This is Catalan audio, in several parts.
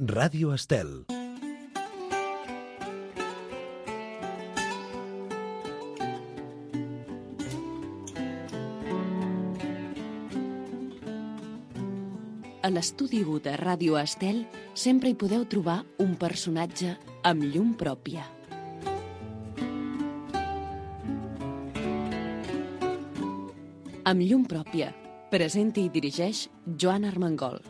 Ràdio Estel. A l'estudi 1 de Ràdio Estel sempre hi podeu trobar un personatge amb llum pròpia. Amb llum pròpia, presenta i dirigeix Joan Armengol.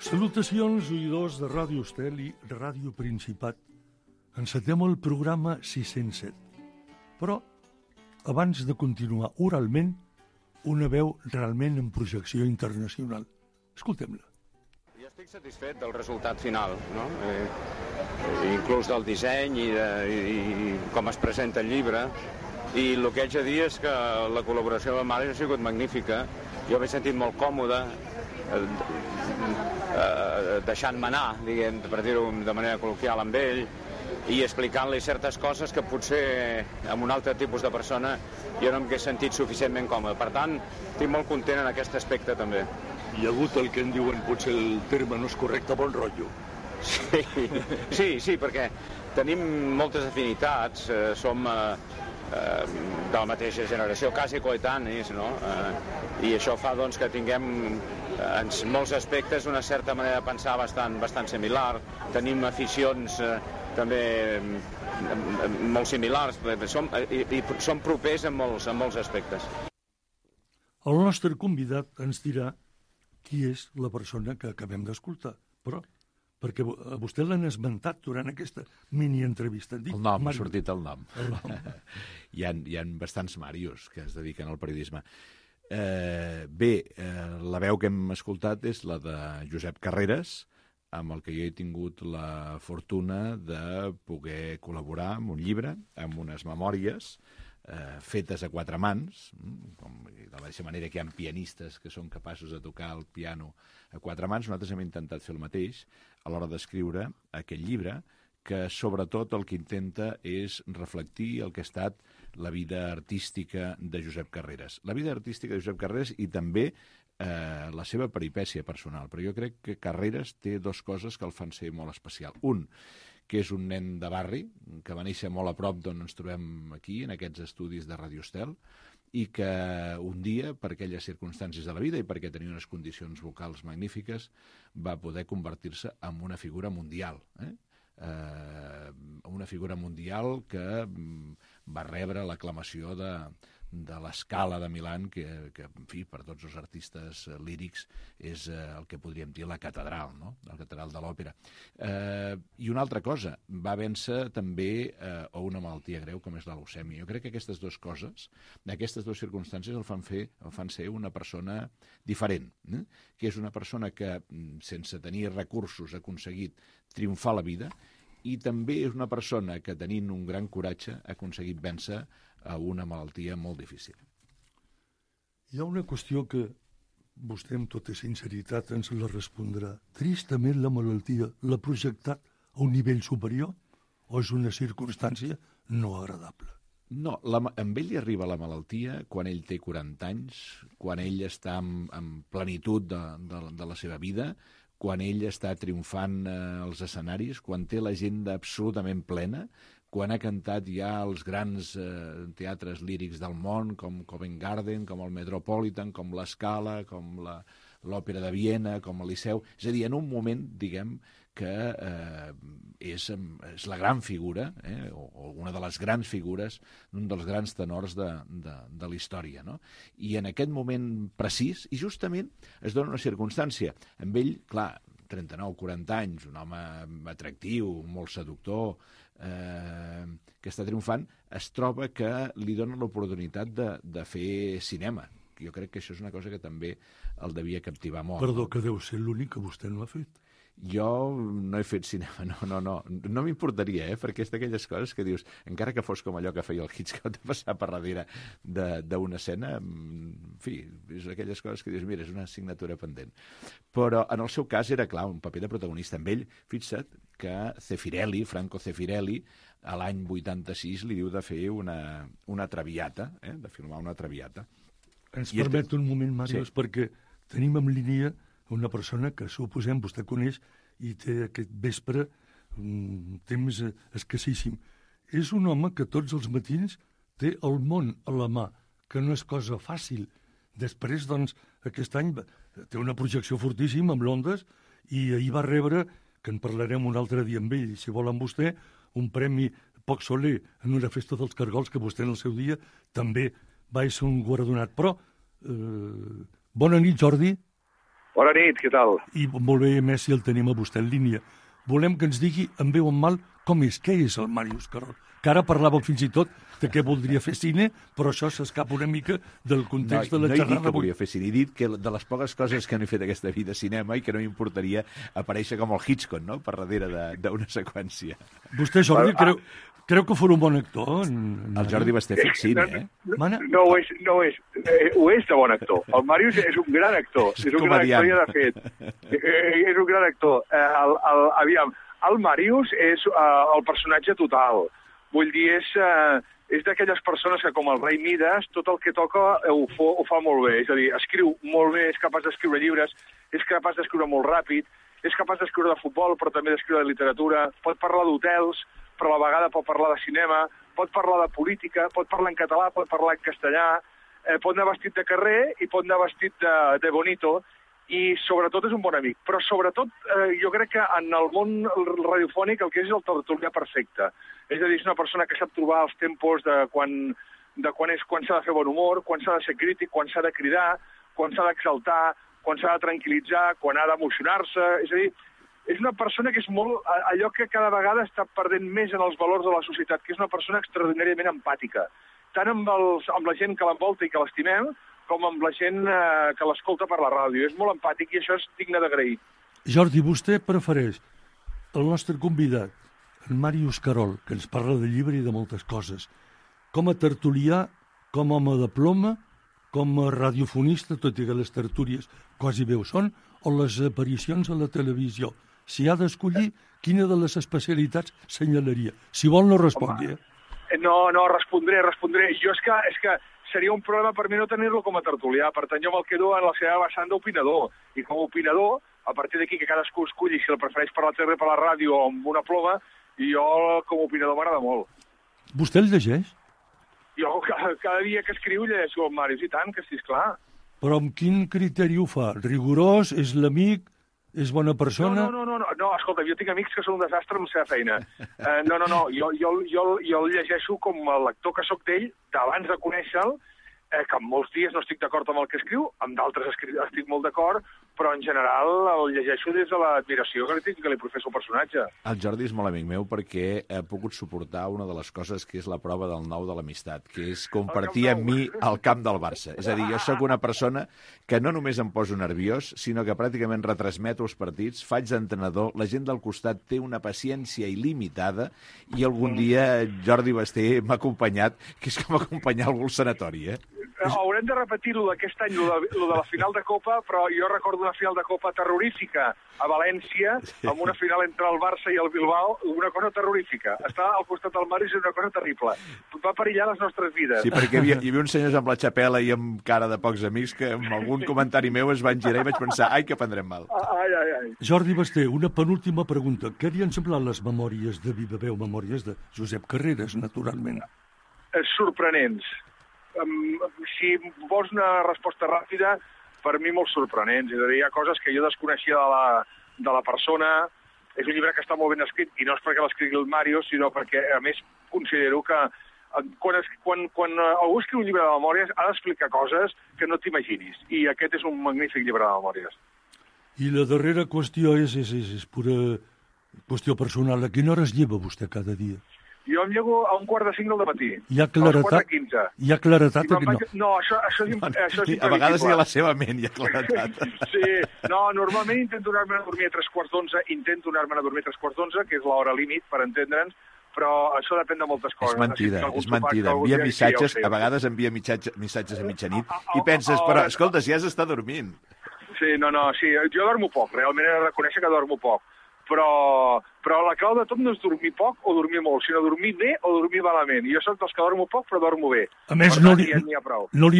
Salutacions, oïdors de Ràdio Estel i Ràdio Principat. Encetem el programa 607. Però, abans de continuar oralment, una veu realment en projecció internacional. Escoltem-la. Jo estic satisfet del resultat final, no? Inclús del disseny i com es presenta el llibre. I el que haig de dir és que la col·laboració amb Mare ha sigut magnífica. Jo m'he sentit molt còmode, deixant-me anar, diguem, per dir-ho de manera col·loquial amb ell, i explicant-li certes coses que potser amb un altre tipus de persona jo no m'he sentit suficientment còmode. Per tant, estic molt content en aquest aspecte també. Hi ha hagut el que en diuen, potser el terme no és correcte, bon rotllo. Sí, perquè tenim moltes afinitats, som de la mateixa generació, quasi coetanis, no? I això fa doncs, que tinguem en molts aspectes una certa manera de pensar bastant similar. Tenim aficions també molt similars, som propers en molts aspectes. El nostre convidat ens dirà qui és la persona que acabem d'escoltar, però perquè a vostè l'han esmentat durant aquesta mini-entrevista. El nom, ha sortit el nom. Hi ha bastants Màrios que es dediquen al periodisme. La veu que hem escoltat és la de Josep Carreras, amb el que jo he tingut la fortuna de poder col·laborar amb un llibre, amb unes memòries fetes a quatre mans, de la mateixa manera que hi ha pianistes que són capaços de tocar el piano a quatre mans. Nosaltres hem intentat fer el mateix a l'hora d'escriure aquest llibre, que sobretot el que intenta és reflectir el que ha estat la vida artística de Josep Carreras. La vida artística de Josep Carreras i també la seva peripècia personal. Però jo crec que Carreras té dues coses que el fan ser molt especial. Un, que és un nen de barri, que va néixer molt a prop d'on ens trobem aquí, en aquests estudis de Ràdio Estel, i que un dia, per aquelles circumstàncies de la vida i perquè tenia unes condicions vocals magnífiques, va poder convertir-se en una figura mundial. Una figura mundial que va rebre l'aclamació de l'Scala de Milán, que en fi, per tots els artistes lírics és el que podríem dir la catedral, no? La catedral de l'òpera. I una altra cosa, va vèncer també una malaltia greu com és la leucèmia. Jo crec que aquestes dues coses, aquestes dues circumstàncies el fan ser una persona diferent, que és una persona que sense tenir recursos ha aconseguit triomfar la vida, i també és una persona que, tenint un gran coratge, ha aconseguit vèncer a una malaltia molt difícil. Hi ha una qüestió que vostè, amb tota sinceritat, ens la respondrà. Tristament, la malaltia l'ha projectat a un nivell superior o és una circumstància no agradable? No, amb ell li arriba la malaltia quan ell té 40 anys, quan ell està en plenitud de la seva vida, quan ell està triomfant als escenaris, quan té l'agenda absolutament plena, quan ha cantat ja als grans teatres lírics del món, com Covent Garden, com el Metropolitan, com l'Scala, com l'Òpera de Viena, com el Liceu. És a dir, en un moment, diguem, que és la gran figura, o una de les grans figures d'un dels grans tenors de la història, no? I en aquest moment precís, i justament es dona una circumstància. Amb ell, clar, 39-40 anys, un home atractiu, molt seductor, que està triomfant, es troba que li dona l'oportunitat de fer cinema. Jo crec que això és una cosa que també el devia captivar molt. Perdó, que deu ser l'únic que vostè no ha fet. Jo no he fet cinema, no m'importaria, perquè és d'aquelles coses que dius, encara que fos com allò que feia el Hitchcock de passar per darrere d'una escena, en fi, és aquelles coses que dius, mira, és una assignatura pendent. Però en el seu cas era, clar, un paper de protagonista. Amb ell, fixa't que Franco Zeffirelli, a l'any 86 li diu de fer una traviata, de filmar una traviata. Ens permet un moment, Màrius, perquè tenim en línia una persona que, suposem, vostè coneix i té aquest vespre un temps escassíssim. És un home que tots els matins té el món a la mà, que no és cosa fàcil. Després, doncs, aquest any té una projecció fortíssima amb l'Ondes i ahir va rebre, que en parlarem un altre dia amb ell, si vol amb vostè, un premi poc soler en una festa dels Cargols que vostè en el seu dia també va ser un guardonat. Però, bona nit, Jordi. Bona nit, què tal? I molt bé, Messi, el tenim a vostè en línia. Volem que ens digui, en veu en mal, com és, què és el Màrius Carol? Que ara parlàvem fins i tot de què voldria fer cine, però això s'escapa una mica del context de la xerrada. No he dit que volia fer cine, he dit que de les poques coses que no he fet aquesta vida cinema i que no m'importaria aparèixer com el Hitchcock, no?, per darrere d'una seqüència. Vostè, Jordi, creu que fos un bon actor? El Jordi Basté ha fet cine, eh? No ho és. Ho és de bon actor. El Màrius és un gran actor. És un gran actor, ja de fet. És un gran actor. Aviam, el Màrius és el personatge total. Vull dir, és d'aquelles persones que, com el rei Mides, tot el que toca ho fa molt bé. És a dir, escriu molt bé, és capaç d'escriure llibres, és capaç d'escriure molt ràpid, és capaç d'escriure de futbol, però també d'escriure de literatura, pot parlar d'hotels, però a la vegada pot parlar de cinema, pot parlar de política, pot parlar en català, pot parlar en castellà, pot anar vestit de carrer i pot anar vestit de bonito, i sobretot és un bon amic. Però sobretot jo crec que en el món radiofònic el que és el tertulià perfecte. És a dir, és una persona que sap trobar els tempos de quan s'ha de fer bon humor, quan s'ha de ser crític, quan s'ha de cridar, quan s'ha d'exaltar, quan s'ha de tranquil·litzar, quan ha d'emocionar-se. És a dir, és una persona que és molt allò que cada vegada està perdent més en els valors de la societat, que és una persona extraordinàriament empàtica. Tant amb la gent que l'envolta i que l'estimem, com amb la gent que l'escolta per la ràdio. És molt empàtic i això és digne d'agrair. Jordi, vostè prefereix el nostre convidat, en Màrius Carol, que ens parla de llibre i de moltes coses, com a tertulià, com a home de ploma, com a radiofonista, tot i que les tertúlies quasi bé ho són, o les aparicions a la televisió. Si ha d'escollir, quina de les especialitats senyalaria? Si vol, no respongui. No, respondré. Jo és que seria un problema per mi no tenir-lo com a tertulià. Per tant, jo me'l quedo en la seva vessant d'opinador. I com a opinador, a partir d'aquí que cadascú esculli si el prefereix per la tele, per la ràdio o amb una ploma, i jo com a opinador m'agrada molt. Vostè el llegeix? Jo cada dia que escriu llegeixo el Màrius, i tant, que sí, esclar. Però amb quin criteri ho fa? Rigorós? És l'amic? És bona persona? No, escolta, jo tinc amics que són un desastre amb la seva feina. Jo el llegeixo com a lector que sóc d'ell, d'abans de conèixer-lo, que en molts dies no estic d'acord amb el que escriu, amb d'altres estic molt d'acord, però en general el llegeixo des de l'admiració que li professo al personatge. El Jordi és molt amic meu perquè he pogut suportar una de les coses que és la prova del 9 de l'amistat, que és compartir amb mi el camp del Barça. És a dir, jo sóc una persona que no només em poso nerviós, sinó que pràcticament retransmeto els partits, faig d'entrenador, la gent del costat té una paciència il·limitada i algun dia Jordi Basté m'ha acompanyat, que és com acompanyar algú al sanatori, Haurem de repetir-ho d'aquest any, lo de la final de Copa, però jo recordo una final de Copa terrorífica a València, amb una final entre el Barça i el Bilbao, una cosa terrorífica. Estar al costat del Màrius és una cosa terrible. Va perillar les nostres vides. Sí, perquè hi havia uns senyors amb la xapela i amb cara de pocs amics que amb algun comentari meu es van girar i vaig pensar, ai, que prendrem mal. Ai. Jordi Basté, una penúltima pregunta. Què li han semblat les memòries de Viva Veu, memòries de Josep Carreras, naturalment? Sorprenents. Si vols una resposta ràpida, per mi molt sorprenents. És a dir, hi ha coses que jo desconeixia de la persona. És un llibre que està molt ben escrit, i no és perquè l'escrigui el Màrius, sinó perquè, a més, considero que quan algú escriu un llibre de memòries ha d'explicar coses que no t'imaginis. I aquest és un magnífic llibre de memòries. I la darrera qüestió és pura qüestió personal. A quina hora es lleva vostè cada dia? Jo em llevo a 4:45 del matí. Hi ha claretat? Hi ha claretat? No, això és imprevisible. A vegades hi ha la seva ment, hi ha claretat. Sí, no, normalment intento anar-me a dormir a 3:15, que és l'hora límit, per entendre'ns, però això depèn de moltes coses. És mentida. Envia missatges, a vegades envia missatges a mitjanit, i penses, però, escolta, si has d'estar dormint. Sí, sí, jo dormo poc, realment he de reconèixer que dormo poc. Però la clau de tot no és dormir poc o dormir molt, sinó dormir bé o dormir malament. I jo soc dels que dormo poc, però dormo bé. A més, no li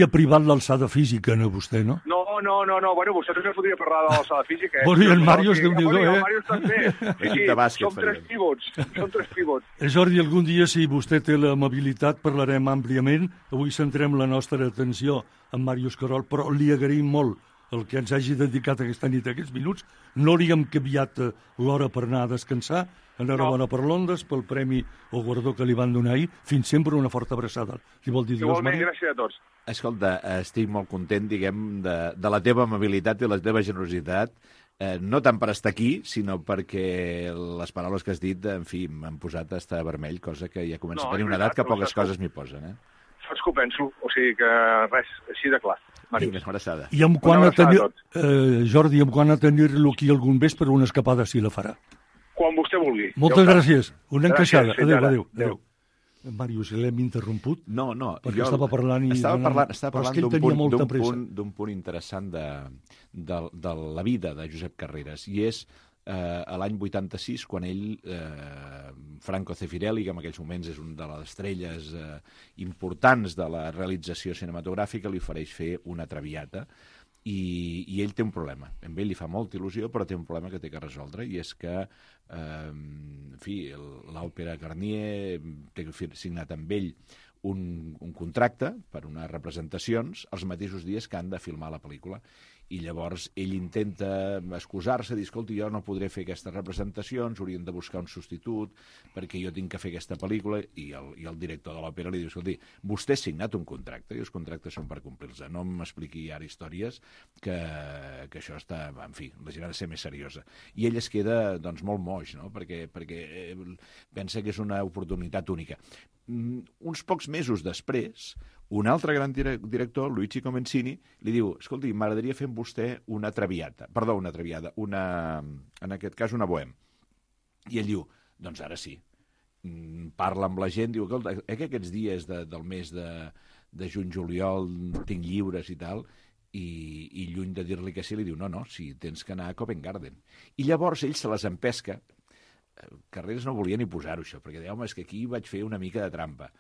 ha privat l'alçada física, a vostè, no? No. Bueno, vostè també podria parlar de l'alçada física. Bueno, i el Màrius, Déu-n'hi-do, el Màrius també. Sí, som tres pivots. Jordi, algun dia, si vostè té l'amabilitat, parlarem àmpliament. Avui centrem la nostra atenció en Màrius Querol, però li agraïm molt el que ens hagi dedicat aquesta nit, aquests minuts. No li hem canviat l'hora per anar a descansar. Enhorabona per l'Ondes, pel premi o guardó que li van donar ahir. Fins sempre, una forta abraçada. Li vol dir igualment, gràcies a tots. Escolta, estic molt content, diguem, de la teva amabilitat i la teva generositat. No tant per estar aquí, sinó perquè les paraules que has dit, en fi, m'han posat a estar vermell, cosa que ja comença a tenir una edat que poques coses m'hi posen, Saps que ho penso, o sigui que res, així de clar. Vinga, una abraçada. I Jordi, quan a tenir-lo aquí algun vespre, una escapada si la farà. Quan vostè vulgui. Moltes gràcies. Una encaixada. Adéu. Màrius, l'hem interromput? No. Perquè estava parlant d'un punt interessant de la vida de Josep Carreras, i és a l'any 86, quan ell, Franco Zeffirelli, que en aquells moments és una de les estrelles importants de la realització cinematogràfica, li ofereix fer una Traviata, i ell té un problema. A ell li fa molta il·lusió, però té un problema que té que resoldre, i és que l'Òpera Garnier té signat amb ell un contracte per unes representacions els mateixos dies que han de filmar la pel·lícula. I llavors ell intenta excusar-se, dir, escolta, jo no podré fer aquestes representacions, haurien de buscar un substitut perquè jo tinc que fer aquesta pel·lícula, i el director de l'òpera li diu, escolta, vostè ha signat un contracte i els contractes són per complir-se, no m'expliqui ara històries que això està, en fi, la gent ha de ser més seriosa. I ell es queda, doncs, molt moix, no?, perquè pensa que és una oportunitat única. Uns pocs mesos després, un altre gran director, Luigi Comencini, li diu, escolti, m'agradaria fer amb vostè una Traviata, en aquest cas una Bohème. I ell diu, doncs ara sí. Parla amb la gent, diu, escolta, que aquests dies del mes de juny-juliol tinc lliures i tal, i lluny de dir-li que sí, li diu, no, sí, tens que anar a Covent Garden. I llavors ell se les empesca. Carreras no volia ni posar-ho, això, perquè deia, home, és que aquí vaig fer una mica de trampa.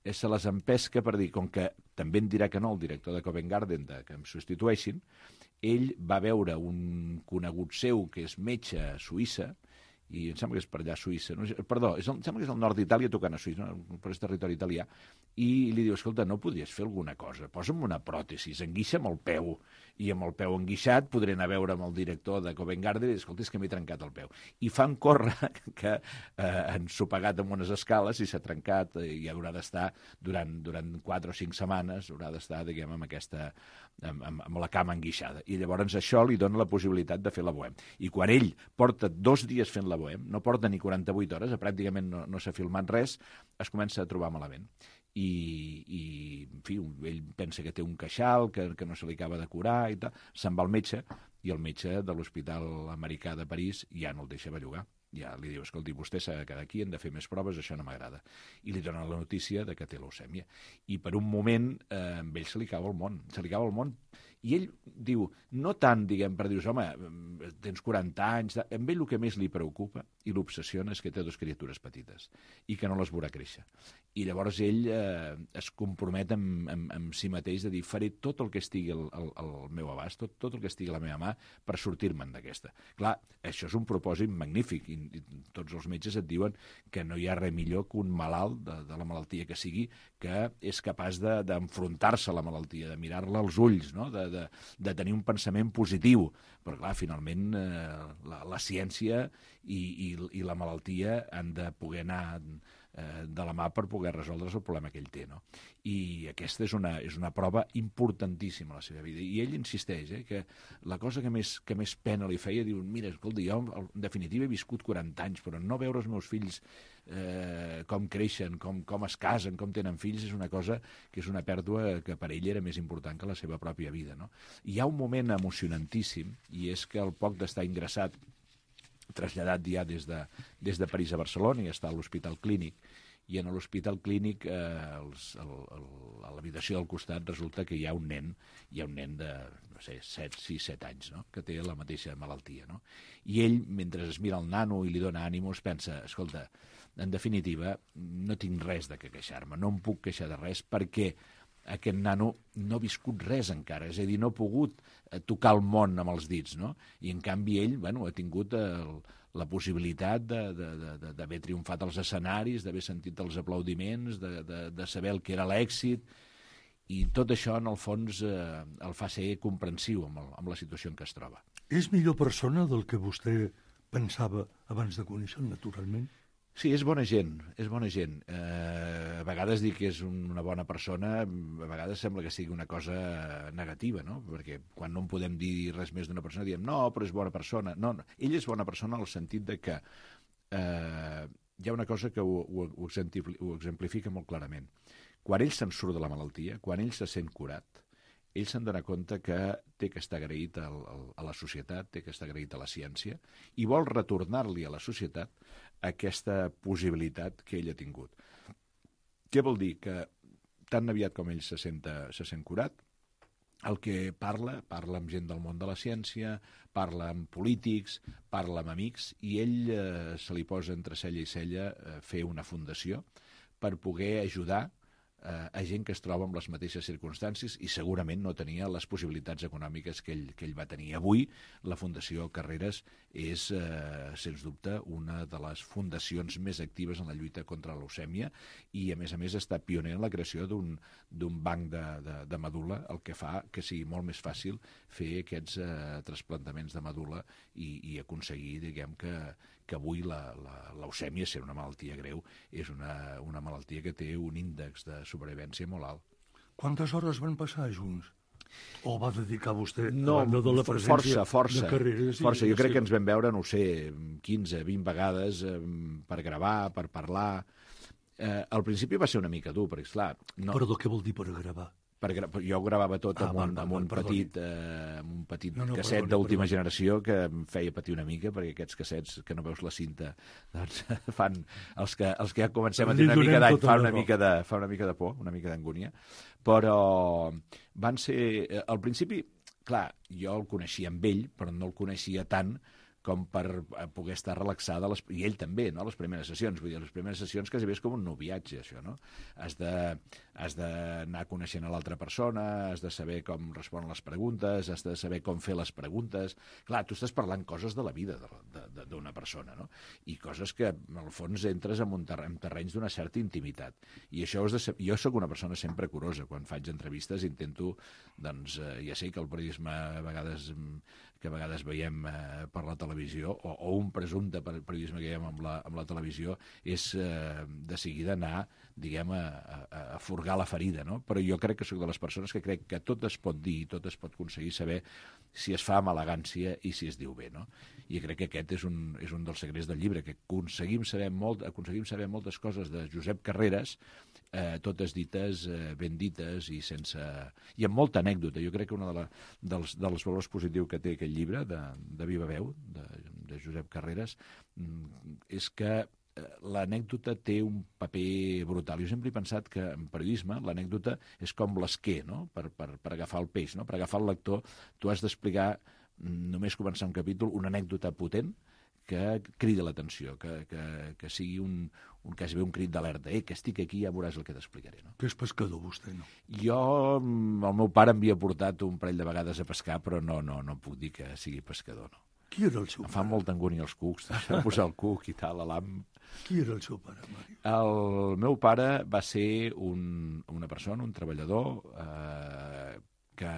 Se les empesca per dir, com que també em dirà que no el director de Covent Garden que em substitueixin, ell va veure un conegut seu que és metge a Suïssa, i em sembla que és per allà a Suïssa, perdó, em sembla que és al nord d'Itàlia tocant a Suïssa, però és territori italià, i li diu, escolta, no podries fer alguna cosa, posa'm una pròtesi, enguixa'm el peu, i amb el peu enguixat podré anar a veure amb el director de Covent Garden i dir, escolta, és que m'he trencat el peu. I fan córrer que han sopegat amb unes escales i s'ha trencat i haurà d'estar durant 4 o 5 setmanes, haurà d'estar, diguem, amb la cama enguixada. I llavors això li dona la possibilitat de fer la Bohème. I quan ell porta 2 dies fent la Bohème, no porta ni 48 hores, pràcticament no s'ha filmat res, es comença a trobar malament. I en fi, ell pensa que té un queixal, que no se li acaba de curar i tal, se'n va al metge, i el metge de l'Hospital Americà de París ja no el deixa bellugar. Ja li diu, escolti, vostè s'ha de quedar aquí, hem de fer més proves, això no m'agrada. I li dona la notícia de que té leucèmia. I per un moment, amb ell se li cau el món. I ell diu, no tant, diguem, per dir, home, tens 40 anys, amb ell el que més li preocupa i l'obsessiona és que té 2 criatures petites i que no les veurà créixer. I llavors ell es compromet amb si mateix de dir, faré tot el que estigui al meu abast, tot el que estigui a la meva mà per sortir-me'n d'aquesta. Clar, això és un propòsit magnífic, i tots els metges et diuen que no hi ha res millor que un malalt de la malaltia que sigui, que és capaç d'enfrontar-se a la malaltia, de mirar-la als ulls, no?, de tenir un pensament positiu. Però clar, finalment la ciència i la malaltia han de poder anar de la mà per poder resoldre el problema que ell té, no? I aquesta és una prova importantíssima a la seva vida. I ell insisteix que la cosa que més pena li feia, diu, mira, escolta, jo en definitiva he viscut 40 anys, però no veure els meus fills com creixen, com es casen, com tenen fills, és una cosa que és una pèrdua que per ell era més important que la seva pròpia vida, no? Hi ha un moment emocionantíssim, i és que al poc d'estar ingressat, traslladat ja des de París a Barcelona, i està a l'Hospital Clínic, i en l'hospital clínic, a l'habitació del costat, resulta que hi ha un nen de, no sé, 6-7 anys, no?, que té la mateixa malaltia, no? I ell, mentre es mira el nano i li dona ànimos, pensa, escolta, en definitiva, no tinc res de què queixar-me, no em puc queixar de res perquè aquest nano no ha viscut res encara, és a dir, no ha pogut tocar el món amb els dits, no? I en canvi ell, bueno, ha tingut la possibilitat d'haver triomfat als escenaris, d'haver sentit els aplaudiments, de saber el que era l'èxit, i tot això, en el fons, el fa ser comprensiu amb la situació en què es troba. És millor persona del que vostè pensava abans de conèixer-lo, naturalment? Sí, és bona gent, és bona gent. A vegades dir que és una bona persona, a vegades sembla que sigui una cosa negativa, no? Perquè quan no en podem dir res més d'una persona, diem, no, però és bona persona. No, ell és bona persona en el sentit de que hi ha una cosa que ho exemplifica molt clarament. Quan ell se'n surt de la malaltia, quan ell se sent curat, ell se'n dona compte que té que estar agraït a la societat, té que estar agraït a la ciència, i vol retornar-li a la societat aquesta possibilitat que ell ha tingut. Què vol dir? Que tan aviat com ell se sent curat, el que parla amb gent del món de la ciència, parla amb polítics, parla amb amics, i ell se li posa entre cella i cella fer una fundació per poder ajudar a gent que es troba en les mateixes circumstàncies i segurament no tenia les possibilitats econòmiques que ell va tenir. Avui la Fundació Carreras és, sens dubte, una de les fundacions més actives en la lluita contra la leucèmia i, a més, està pioner en la creació d'un banc de medul·la, el que fa que sigui molt més fàcil fer aquests trasplantaments de medul·la i aconseguir, diguem, que avui la leucèmia, ser una malaltia greu, és una malaltia que té un índex de supervivència molt alt. Quantes hores van passar junts? O va dedicar vostè no, a banda de la presència força, de Carreras? Força, jo crec que ens vam veure, no ho sé, 15, 20 vegades per gravar, per parlar. Al principi va ser una mica dur, perquè, esclar... No... Perdó, què vol dir per gravar? Jo gravava tot amb un petit casset d'última generació que em feia patir una mica, perquè aquests cassets que no veus la cinta doncs fan, els que ja comencem a tenir una mica d'any fa una mica de por, una mica d'angúnia, però van ser, al principi, clar, jo el coneixia amb ell, però no el coneixia tant com per poder estar relaxada, i ell també, no?, les primeres sessions. Vull dir, les primeres sessions quasi bé és com un noviatge, això, no? Has d'anar coneixent a l'altra persona, has de saber com responen les preguntes, has de saber com fer les preguntes. Clar, tu estàs parlant coses de la vida d'una persona, no? I coses que, en el fons, entres en terrenys d'una certa intimitat. I això jo sóc una persona sempre curosa. Quan faig entrevistes intento, doncs, ja sé que el periodisme a vegades veiem per la televisió, o un presumpte periodisme que veiem amb la televisió, és de seguida anar, diguem, a furgar la ferida, no? Però jo crec que sóc de les persones que crec que tot es pot dir, tot es pot aconseguir saber si es fa amb elegància i si es diu bé, no? I crec que aquest és un dels secrets del llibre, que aconseguim saber moltes coses de Josep Carreras, totes dites, ben dites i amb molta anècdota. Jo crec que un dels valors positius que té aquest llibre de Viva Veu, de Josep Carreras, és que l'anècdota té un paper brutal. Jo sempre he pensat que en periodisme l'anècdota és com l'esquer, no?, per agafar el peix, no? Per agafar el lector tu has d'explicar, només començar un capítol, una anècdota potent que crida l'atenció, que sigui quasi bé un crit d'alerta. Que estic aquí, ja veuràs el que t'explicaré, no? Que és pescador, vostè, no? Jo, el meu pare m'havia portat un parell de vegades a pescar, però no puc dir que sigui pescador, no. Qui era el seu pare? Em fa molta angúnia els cucs, posar el cuc i tal, a l'am. Qui era el seu pare, Màrius? El meu pare va ser una persona, un treballador, que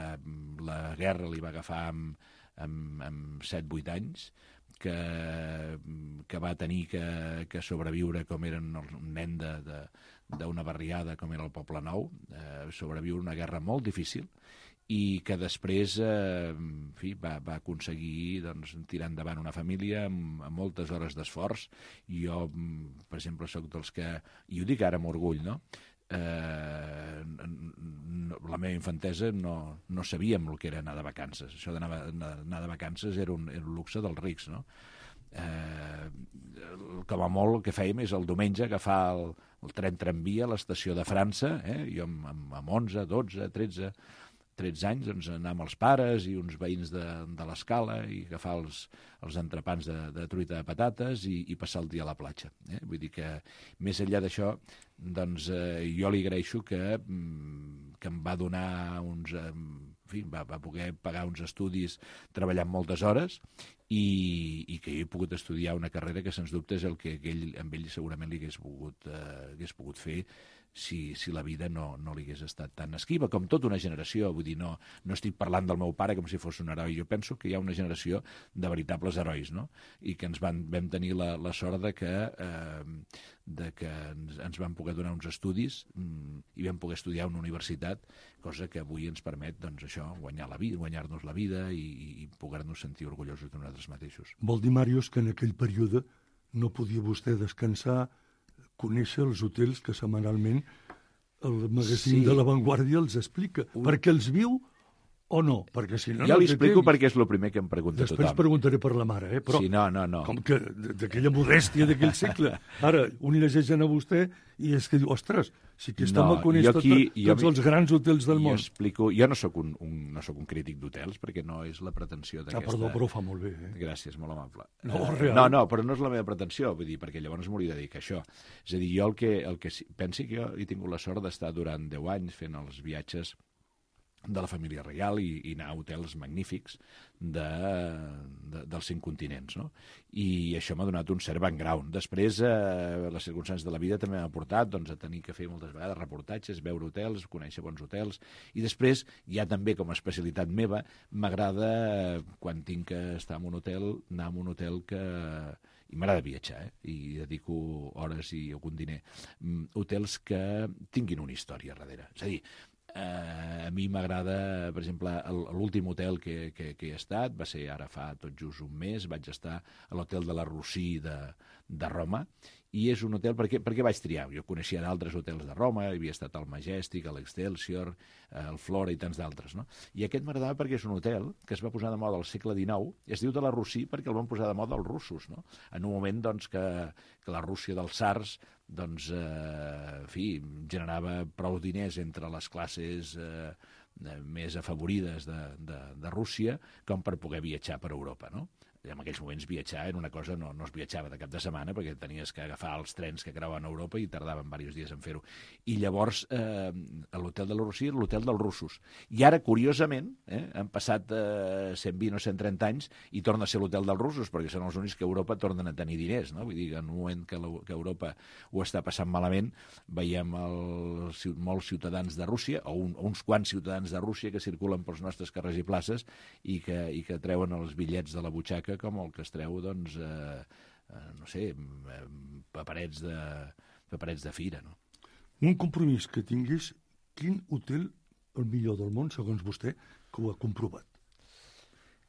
la guerra li va agafar amb 7-8 anys, que va tenir que sobreviure com era un nen d'una barriada com era el Poble Nou, sobreviure una guerra molt difícil, i que després va aconseguir tirar endavant una família amb moltes hores d'esforç. Jo, per exemple, sóc dels que, i ho dic ara amb orgull, no? La meva infantesa no sabíem el que era anar de vacances. Això d'anar de vacances era un luxe dels rics, no? Com a molt el que fèiem és el diumenge agafar el tren-tramvia a l'estació de França, jo amb 11, 12, 13 anys, doncs anar amb els pares i uns veïns de l'escala i agafar els entrepans de truita de patates i passar el dia a la platja. Vull dir que, més enllà d'això, doncs jo li agraeixo que em va donar uns... En fi, va poder pagar uns estudis treballant moltes hores i que jo he pogut estudiar una carrera que, sens dubte, és el que amb ell segurament li hagués pogut fer si la vida no li hagués estat tan esquiva, com tota una generació. Vull dir, no estic parlant del meu pare com si fos un heroi. Jo penso que hi ha una generació de veritables herois, no? I que vam tenir la sort de que ens van poder donar uns estudis i vam poder estudiar a una universitat, cosa que avui ens permet, doncs, això, guanyar-nos la vida i poder-nos sentir orgullosos de nosaltres mateixos. Vol dir, Màrius, que en aquell període no podia vostè descansar, conèixer els hotels que setmanalment el magazín de La Vanguardia els explica. Perquè els viu o no? Perquè si no, jo li explico perquè és el primer que em pregunta tothom. Després preguntaré per la mare, però sí, no. Com que d'aquella modèstia d'aquell segle. Ara, un llegeix a vostè i és que diu, ostres, si aquest home coneix tots els grans hotels del món. Jo no soc un crític d'hotels, perquè no és la pretensió d'aquesta... Perdó, però ho fa molt bé. Gràcies, molt amable. No, però no és la meva pretensió, vull dir, perquè llavors m'hauria de dir que això. És a dir, jo el que pensi que jo he tingut la sort d'estar durant 10 anys fent els viatges de la família reial i anar a hotels magnífics dels 5 continents, no? I això m'ha donat un cert background. Després, les circumstàncies de la vida també m'ha portat, doncs, a tenir que fer moltes vegades reportatges, veure hotels, conèixer bons hotels, i després, ja també com a especialitat meva, m'agrada, quan tinc que estar en un hotel, anar a un hotel que... I m'agrada viatjar, i dedico hores i algun diner. Hotels que tinguin una història darrere. És a dir, a mi m'agrada, per exemple, l'últim hotel que he estat, va ser ara fa tot just un mes, vaig estar a l'hotel de la Rossí de Roma, i és un hotel... Per què vaig triar? Jo coneixia d'altres hotels de Roma, havia estat al Majestic, a l'Excelsior, al Flora i tants d'altres, no? I aquest m'agradava perquè és un hotel que es va posar de moda al segle XIX, i es diu de la Rossí perquè el van posar de moda els russos, no? En un moment, doncs, que la Rússia dels tsars, doncs, en fi, generava prou diners entre les classes més afavorides de Rússia com per poder viatjar per Europa, no? En aquells moments viatjar era una cosa, no es viatjava de cap de setmana perquè tenies que agafar els trens que creuen Europa i tardaven diversos dies en fer-ho. I llavors l'hotel de la Rossí era l'hotel dels russos. I ara, curiosament, han passat 120 o 130 anys i torna a ser l'hotel dels russos perquè són els únics que a Europa tornen a tenir diners, no? Vull dir, en un moment que Europa ho està passant malament, veiem molts ciutadans de Rússia, o uns quants ciutadans de Rússia que circulen pels nostres carrers i places i que treuen els bitllets de la butxaca com el que es treu, doncs, no sé, paperets de fira, no? Un compromís que tingués, quin hotel el millor del món, segons vostè, que ho ha comprovat?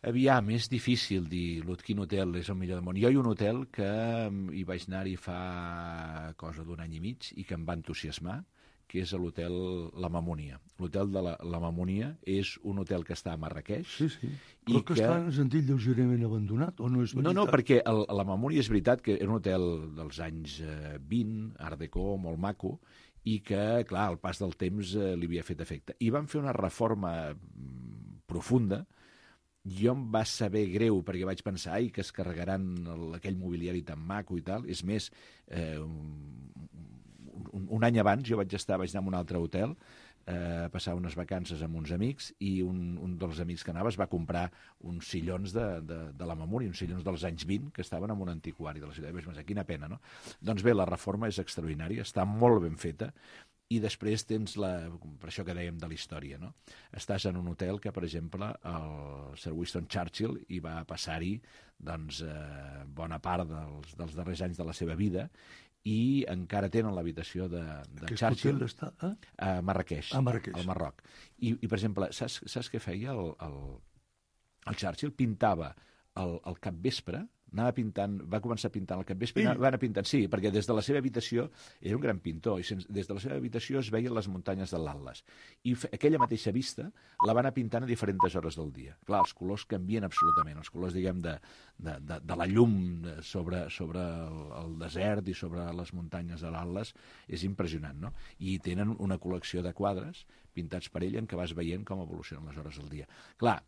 Aviam, és difícil dir quin hotel és el millor del món. Jo hi ha un hotel que hi vaig anar-hi fa cosa d'un any i mig i que em va entusiasmar, que és l'hotel La Mamúnia. L'hotel de la Mamúnia és un hotel que està a Marràqueix. Sí. Però que està, ens han dit, lleugerament abandonat, o no és veritat? No, perquè la Mamúnia és veritat que era un hotel dels anys 20, Art Deco, molt maco, i que, clar, al pas del temps li havia fet efecte. I van fer una reforma profunda. Jo em va saber greu perquè vaig pensar que es carregaran aquell mobiliari tan maco i tal. És més, un any abans jo vaig anar a un altre hotel a passar unes vacances amb uns amics i un dels amics que anava es va comprar uns sillons de la Mamúnia, uns sillons dels anys 20 que estaven en un antiquari de la ciutat. Vaig pensar, quina pena, no? Doncs bé, la reforma és extraordinària, està molt ben feta i després tens per això que dèiem de la història, no? Estàs en un hotel que, per exemple, el Sir Winston Churchill hi va passar-hi doncs, bona part dels darrers anys de la seva vida i encara tenen l'habitació de Churchill a Marràqueix, al Marroc. I, per exemple, saps què feia el Churchill? Pintava al capvespre, anava pintant, va començar pintant al capvespre, va anar pintant, sí, perquè des de la seva habitació, era un gran pintor, i des de la seva habitació es veien les muntanyes de l'Atles. I aquella mateixa vista la va anar pintant a diferents hores del dia. Clar, els colors canvien absolutament, els colors, diguem, de la llum sobre el desert i sobre les muntanyes de l'Atles és impressionant, no? I tenen una col·lecció de quadres pintats per ell en què vas veient com evolucionen les hores del dia. Clar,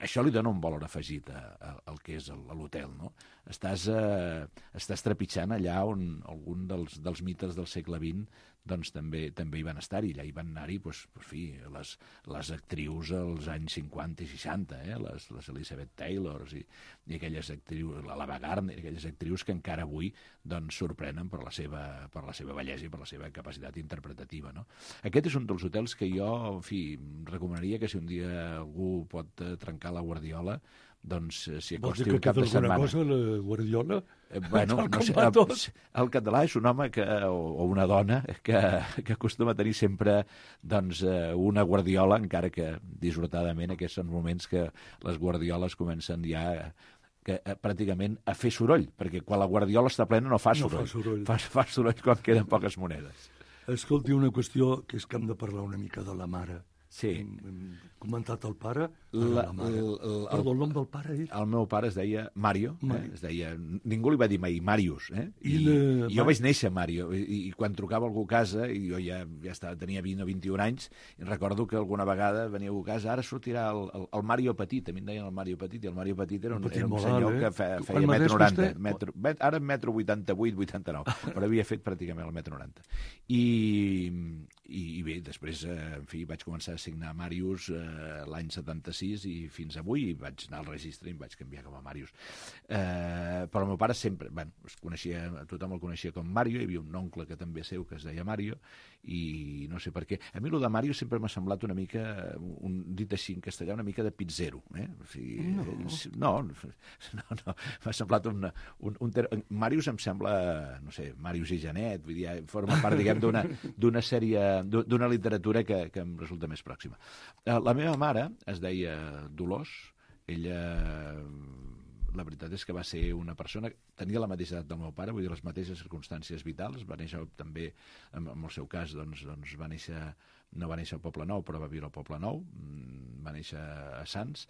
això li dona un valor afegit al que és l'hotel, no? Estàs trepitjant allà on algun dels mites del segle XX doncs també hi van estar-hi. Allà hi van anar-hi, les actrius als anys 50 i 60, les Elizabeth Taylors i aquelles actrius, l'Ava Gardner, aquelles actrius que encara avui doncs sorprenen per la seva bellesa i per la seva capacitat interpretativa, no? Aquest és un dels hotels que jo, en fi, recomanaria que si un dia algú pot trencar la guardiola, doncs s'hi acosti un cap de setmana. Vols dir que té alguna cosa, la guardiola? Bueno, no sé, el català és un home o una dona que acostuma a tenir sempre doncs, una guardiola, encara que dissortadament aquests són moments que les guardioles comencen ja pràcticament a fer soroll, perquè quan la guardiola està plena no fa soroll. Fa soroll quan queden poques monedes. Escolti, una qüestió que és que hem de parlar una mica de la mare. Sí. Hem comentat el pare, la mare. Perdó, el nom del pare és? El meu pare es deia Mario. Es deia, ningú li va dir mai Màrius. Jo vaig néixer Mario, i quan trucava algú a casa, i jo ja tenia 20 o 21 anys, i recordo que alguna vegada venia algú a casa, ara sortirà el Mario Petit, a mi em deien el Mario Petit, i el Mario Petit era un senyor que feia 1,90 m. Ara 1,88 m, 89, però havia fet pràcticament el 1,90 m. I bé, després, en fi, vaig començar a signar Màrius l'any 76 i fins avui, i vaig anar al registre i em vaig canviar com a Màrius. Però el meu pare sempre, tothom el coneixia com Mario, hi havia un oncle que també seu que es deia Mario, i no sé per què. A mi el de Mario sempre m'ha semblat una mica, dit així en castellà, una mica de pizzero. O sigui, no, m'ha semblat Màrius em sembla, no sé, Màrius i Janet, vull dir, forma part, diguem, d'una sèrie, d'una literatura que em resulta més pròxima. La meva mare es deia Dolors. Ella, la veritat és que va ser una persona, tenia la mateixa edat del meu pare, vull dir, les mateixes circumstàncies vitals, va néixer també, en el seu cas, doncs no va néixer al Poble Nou, però va viure al Poble Nou, va néixer a Sants,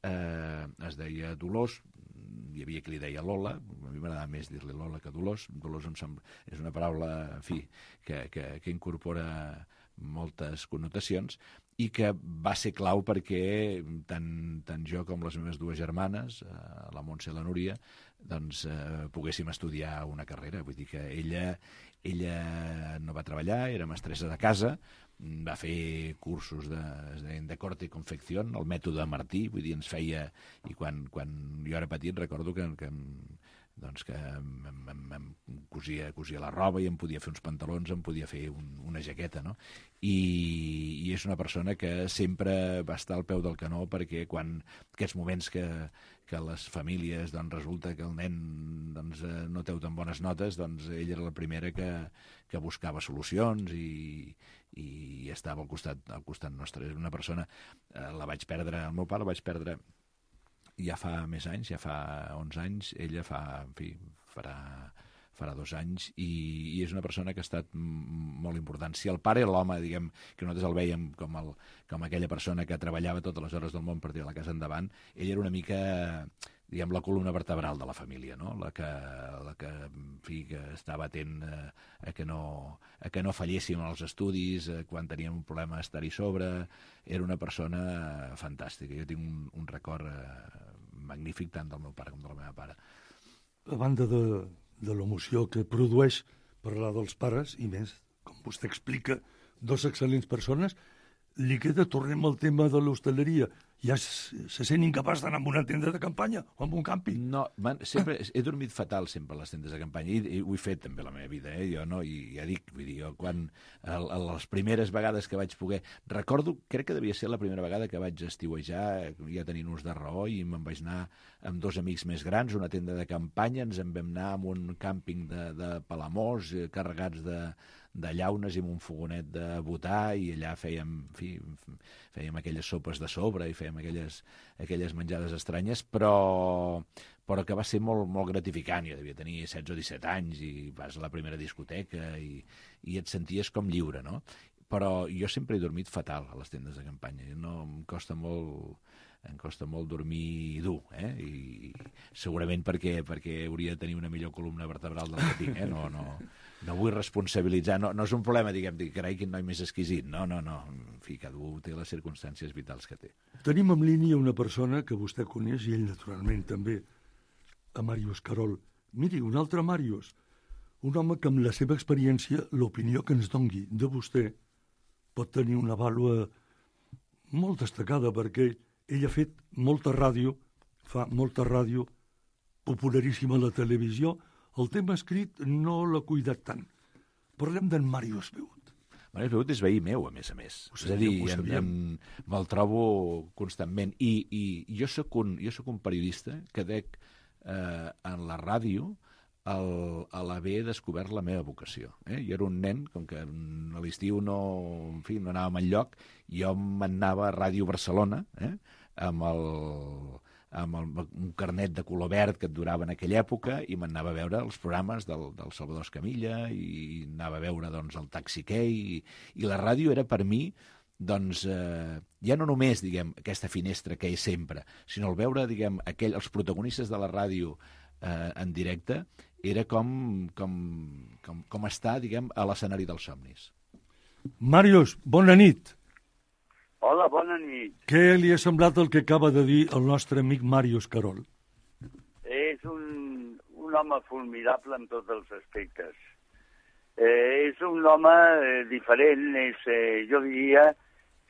es deia Dolors, hi havia qui li deia Lola, a mi m'agradava més dir-li Lola que Dolors. Dolors és una paraula, en fi, que incorpora moltes connotacions i que va ser clau perquè tant jo com les meves dues germanes, la Montse i la Núria, doncs poguéssim estudiar una carrera. Vull dir que ella no va treballar, era mestressa de casa, va fer cursos de corte i confecció, el mètode Martí, vull dir, ens feia, i quan jo era petit recordo que em cosia la roba i em podia fer uns pantalons, em podia fer una jaqueta, no? I és una persona que sempre va estar al peu del canó, perquè quan aquests moments que les famílies, doncs resulta que el nen no té tan bones notes, doncs ella era la primera que buscava solucions i estava al costat nostre. És una persona, el meu pare el vaig perdre ja fa més anys, ja fa 11 anys, ella farà 2 anys, i és una persona que ha estat molt important. Si el pare era l'home, diguem, que nosaltres el veiem com aquella persona que treballava totes les hores del món per tirar la casa endavant, ella era una mica, diguem, la columna vertebral de la família, no? La que en fi, que estava atent a que no falléssim els estudis, quan teníem un problema estar-hi sobre. Era una persona fantàstica. Jo tinc un record magnífic tant del meu pare com de la meva pare. A banda de l'emoció que produeix parlar dels pares, i més, com vostè explica, dos excel·lents persones, li queda, tornem al tema de l'hostaleria. Ja se sent incapaç d'anar a una tenda de campanya o a un càmping? No, sempre he dormit fatal sempre a les tendes de campanya, i ho he fet també a la meva vida, jo no, i ja dic, vull dir, jo quan les primeres vegades que vaig poder, recordo, crec que devia ser la primera vegada que vaig estiuejar, ja tenint ús de raó, i me'n vaig anar amb 2 amics més grans, una tenda de campanya, ens en vam anar a un càmping de Palamós, carregats de llaunes i amb un fogonet de botar, i allà fèiem aquelles sopes de sobre i fèiem aquelles menjades estranyes, però que va ser molt, molt gratificant. Jo devia tenir 16 o 17 anys i vas a la primera discoteca i et senties com lliure, no? Però jo sempre he dormit fatal a les tendes de campanya. No, em costa molt dormir dur, i segurament perquè hauria de tenir una millor columna vertebral del que tinc, No vull responsabilitzar, no és un problema, diguem, carai, quin noi més exquisit, no, en fi, cada un té les circumstàncies vitals que té. Tenim en línia una persona que vostè coneix, i ell naturalment també, a Màrius Carol. Miri, un altre Màrius, un home que amb la seva experiència, l'opinió que ens dongui de vostè, pot tenir una vàlua molt destacada, perquè ell ha fet molta ràdio, fa molta ràdio, popularíssima a la televisió. El tema escrit no l'ha cuidat tant. Parlem d'en Màrius Beut. Màrius Beut és veí meu, a més. És a dir, me'l trobo constantment. I jo sóc un periodista que dec en la ràdio a l'haver descobert la meva vocació. Jo era un nen, com que a l'estiu no anàvem enlloc, jo m'anava a Ràdio Barcelona, amb un carnet de color verd que et durava en aquella època, i m'anava a veure els programes del Salvador Escamilla, i anava a veure el Taxi Key, i la ràdio era per mi, ja no només, diguem, aquesta finestra que és sempre, sinó el veure, diguem, els protagonistes de la ràdio en directe, era com estar, diguem, a l'escenari dels somnis. Màrius, bona nit. Hola, bona nit. Què li ha semblat el que acaba de dir el nostre amic Màrius Carol? És un home formidable en tots els aspectes. És un home diferent, jo diria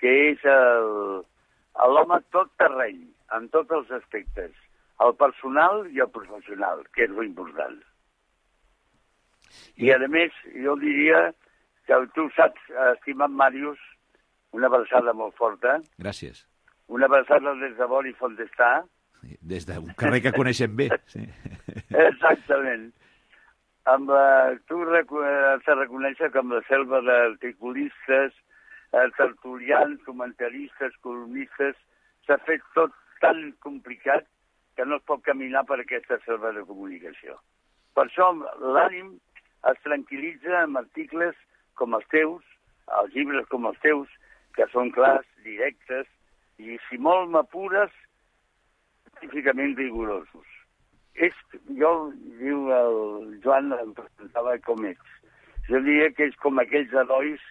que és l'home tot terreny, en tots els aspectes, el personal i el professional, que és lo important. I, a més, jo diria que tu saps, estimat Màrius, una abraçada molt forta. Gràcies. Una abraçada des de Bori Fontestà. Des d'un carrer que coneixem bé. Sí. Exactament. Tu has de reconèixer que amb la selva d'articulistes, tertulians, comentaristes, columnistes, s'ha fet tot tan complicat que no es pot caminar per aquesta selva de comunicació. Per això l'ànim es tranquil·litza amb articles com els teus, els llibres com els teus, que són clars, directes, i si molt m'apures, científicament rigorosos. Jo, diu el Joan, em presentava com ets. Jo diria que és com aquells herois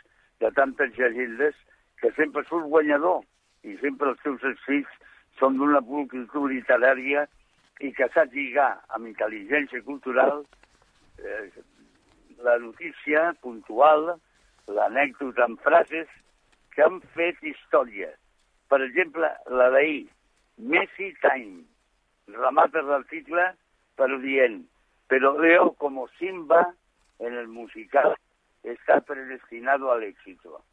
de tantes llegendes que sempre surt guanyador, i sempre els teus escrits són d'una pulcritud literària i que saps lligar amb intel·ligència cultural la notícia puntual, l'anècdota en frases que han fet història. Per exemple, la d'ahir, Messi Time. Remata l'article però dient, pero Leo como Simba en el musical está predestinado al éxito.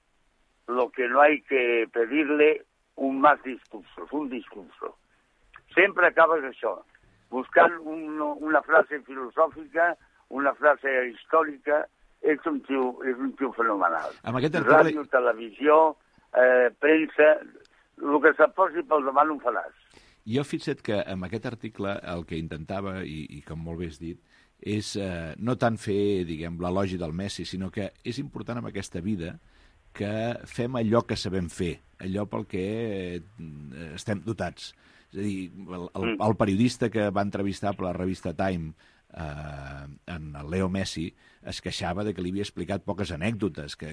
Lo que no hay que pedirle un discurso. Sempre acabes això, buscant una frase filosòfica, una frase històrica. És un tio fenomenal. Ràdio, televisió, premsa, el que se't posi pel davant ho faràs. Jo fixa't que amb aquest article el que intentava, i com molt bé has dit, és no tant fer, diguem, l'elogi del Messi, sinó que és important en aquesta vida que fem allò que sabem fer, allò pel que estem dotats. És a dir, el periodista que va entrevistar per la revista Time en el Leo Messi es queixava de que li havia explicat poques anècdotes, que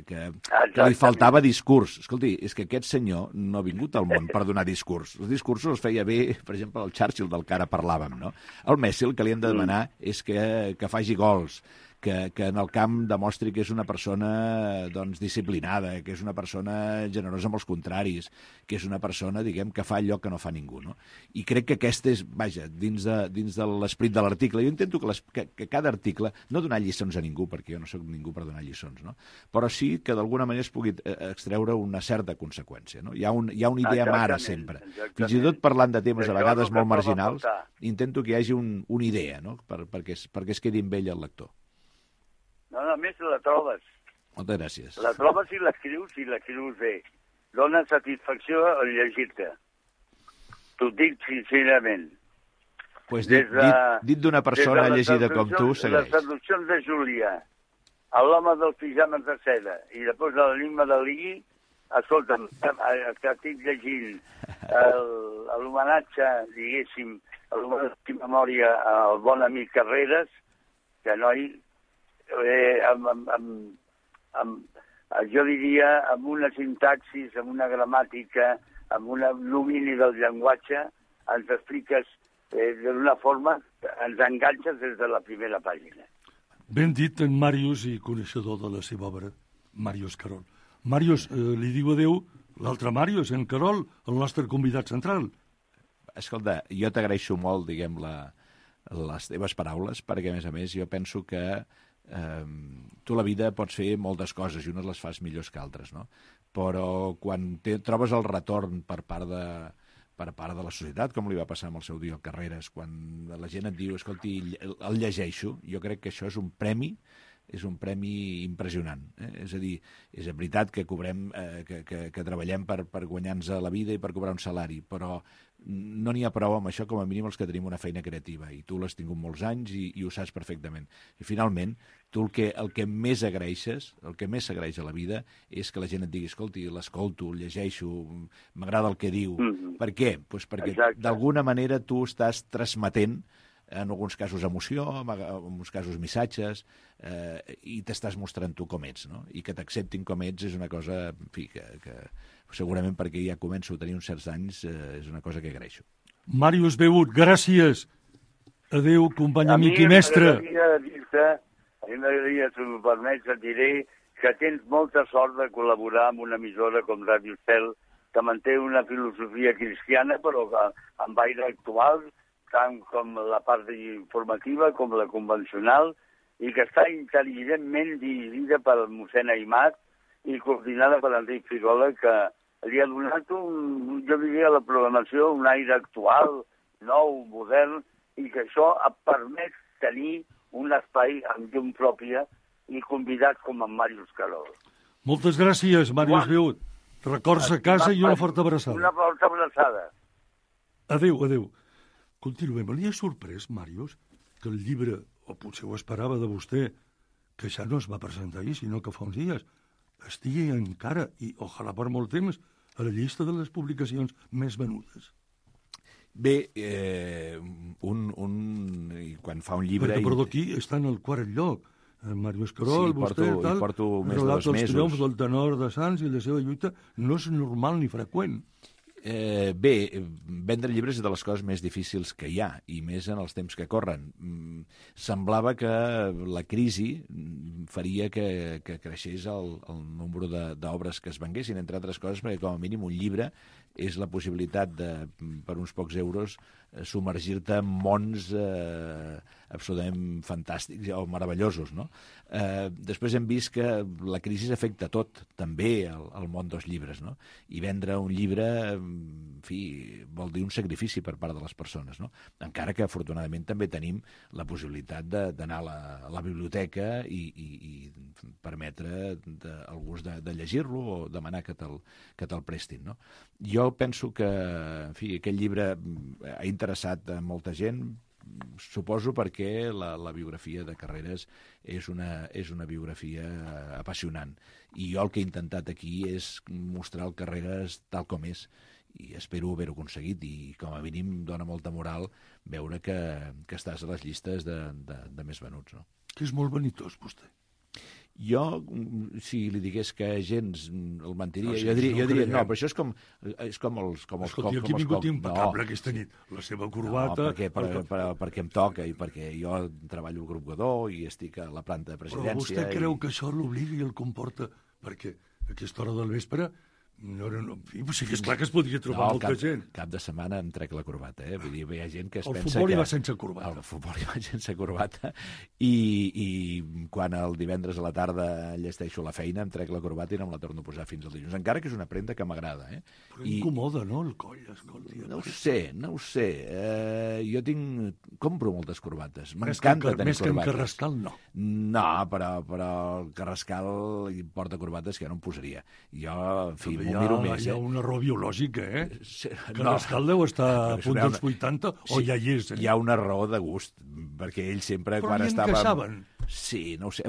li faltava discurs. Escolti, és que aquest senyor no ha vingut al món per donar discurs. Els discursos els feia bé, per exemple, el Churchill, del que ara parlàvem, no? El Messi el que li hem de demanar és que faci gols, que en el camp demostri que és una persona disciplinada, que és una persona generosa amb els contraris, que és una persona, diguem, que fa allò que no fa ningú, no? I crec que aquest és, vaja, dins de l'esperit de l'article. Jo intento que cada article, no donar lliçons a ningú, perquè jo no soc ningú per donar lliçons, no? Però sí que d'alguna manera es pugui extreure una certa conseqüència, no? Hi ha una idea mare sempre. Fins i tot parlant de temes a vegades molt marginals, intento que hi hagi una idea, no? Perquè es quedi amb ell el lector. No, a més la trobes. Moltes gràcies. La trobes i l'escrius bé. Dóna satisfacció al llegir-te. T'ho dic sincerament. Pues dit d'una persona llegida com tu, segueix. Les traduccions de Júlia, l'home dels pijames de seda, i després l'enigma de l'Igui, escolta'm, que estic llegint l'homenatge, diguéssim, l'homenatge de memòria al bon amic Carreras, que noi, jo diria, amb una sintaxis, amb una gramàtica, amb un domini del llenguatge, ens expliques d'una forma, ens enganxes des de la primera pàgina. Ben dit en Màrius i coneixedor de la seva obra, Màrius Carol. Màrius, li diu adéu l'altre Màrius, en Carol, el nostre convidat central. Escolta, jo t'agraeixo molt, diguem, les teves paraules, perquè, a més, jo penso que tu a la vida pots fer moltes coses i unes les fas millors que altres, no? Però quan trobes el retorn per part de la societat, com li va passar amb el seu dia al Carreras, quan la gent et diu, escolti, el llegeixo, jo crec que això és un premi impressionant. És a dir, és veritat que cobrem, que treballem per guanyar-nos la vida i per cobrar un salari, però no n'hi ha prou amb això, com a mínim els que tenim una feina creativa, i tu l'has tingut molts anys i ho saps perfectament. I finalment, tu el que més agraeixes, el que més s'agraeix a la vida és que la gent et digui, escolti, l'escolto, el llegeixo, m'agrada el que diu. Per què? Pues perquè d'alguna manera tu estàs transmetent, en alguns casos emoció, en alguns casos missatges, i t'estàs mostrant tu com ets, no? I que t'acceptin com ets és una cosa, en fi, que segurament perquè ja començo a tenir uns certs anys, és una cosa que agraeixo. Màrius Begut, gràcies. Adéu, company, amic i mestre. A mi m'agradaria, si m'ho permets, et diré que tens molta sort de col·laborar amb una emissora com Ràdio Estel, que manté una filosofia cristiana, però amb aire actual, tant com la part informativa com la convencional, i que està intel·ligentment dirigida per mossèn Aimat i coordinada per Enric Figola, que li ha donat, jo diria, a la programació un aire actual, nou, modern, i que això ha permès tenir un espai amb llum pròpia i convidats com en Màrius Carol. Moltes gràcies, Màrius Begut. Records a casa i una forta abraçada. Una forta abraçada. Adéu, adéu. Continuem. Li ha sorprès, Màrius, que el llibre, o potser ho esperava de vostè, que ja no es va presentar ahir, sinó que fa uns dies, estigui encara, i ojalà per molt temps, a la llista de les publicacions més venudes? Bé, quan fa un llibre... Perquè, perdó, aquí està en el quart lloc. Màrius Carol, sí, vostè, tal, porto més de 2 relat els mesos. triomfs del tenor de Sants i la seva lluita no és normal ni freqüent. Bé, vendre llibres és de les coses més difícils que hi ha, i més en els temps que corren. Semblava que la crisi faria que creixés el nombre d'obres que es venguessin, entre altres coses, perquè com a mínim un llibre és la possibilitat de, per uns pocs euros, submergir-te en mons absolutament fantàstics o meravellosos, no? Després hem vist que la crisi afecta tot, també el món dels llibres, no? I vendre un llibre, en fi, vol dir un sacrifici per part de les persones, no? Encara que, afortunadament, també tenim la possibilitat d'anar a la biblioteca i permetre al gust de llegir-lo o demanar que te'l prestin, no? Jo penso que, en fi, aquest llibre ha interessat a molta gent, suposo perquè la biografia de Carreras és una biografia apassionant. I jo el que he intentat aquí és mostrar el Carreras tal com és, i espero haver-ho aconseguit, i com a mínim dona molta moral veure que estàs a les llistes de més venuts, no? Que és molt vanitós, vostè. Jo, si li digués que gens el mentiria, no, jo diria, no, però això és com els... Escolti, aquí ha vingut impecable aquesta nit. La seva corbata... No, perquè em toca i perquè jo treballo al grup Godó i estic a la planta de presidència... Però vostè creu que això l'obliga i el comporta? Perquè a aquesta hora del vespre No, sí que és clar que es podria trobar molta gent. Cap de setmana em trec la corbata, eh? Vull dir, hi ha gent que es pensa que... El futbol hi va sense corbata. El futbol hi va sense corbata i quan el divendres a la tarda llesteixo la feina em trec la corbata i no me la torno a posar fins al dilluns. Encara que és una prenda que m'agrada, eh? Però incomoda, no, el coll, escolta. No ho sé. Jo compro moltes corbates. M'encanta tenir corbates. Més que en Carrascal, no. No, però el Carrascal porta corbates que jo no em posaria. Jo, en fi, m'ho miro més. Hi ha un error biològic, eh? Carrascal deu estar a punt dels 80 o ja hi és, eh? Hi ha una raó de gust, perquè ell sempre... Però hi que saben. Sí, no ho sé.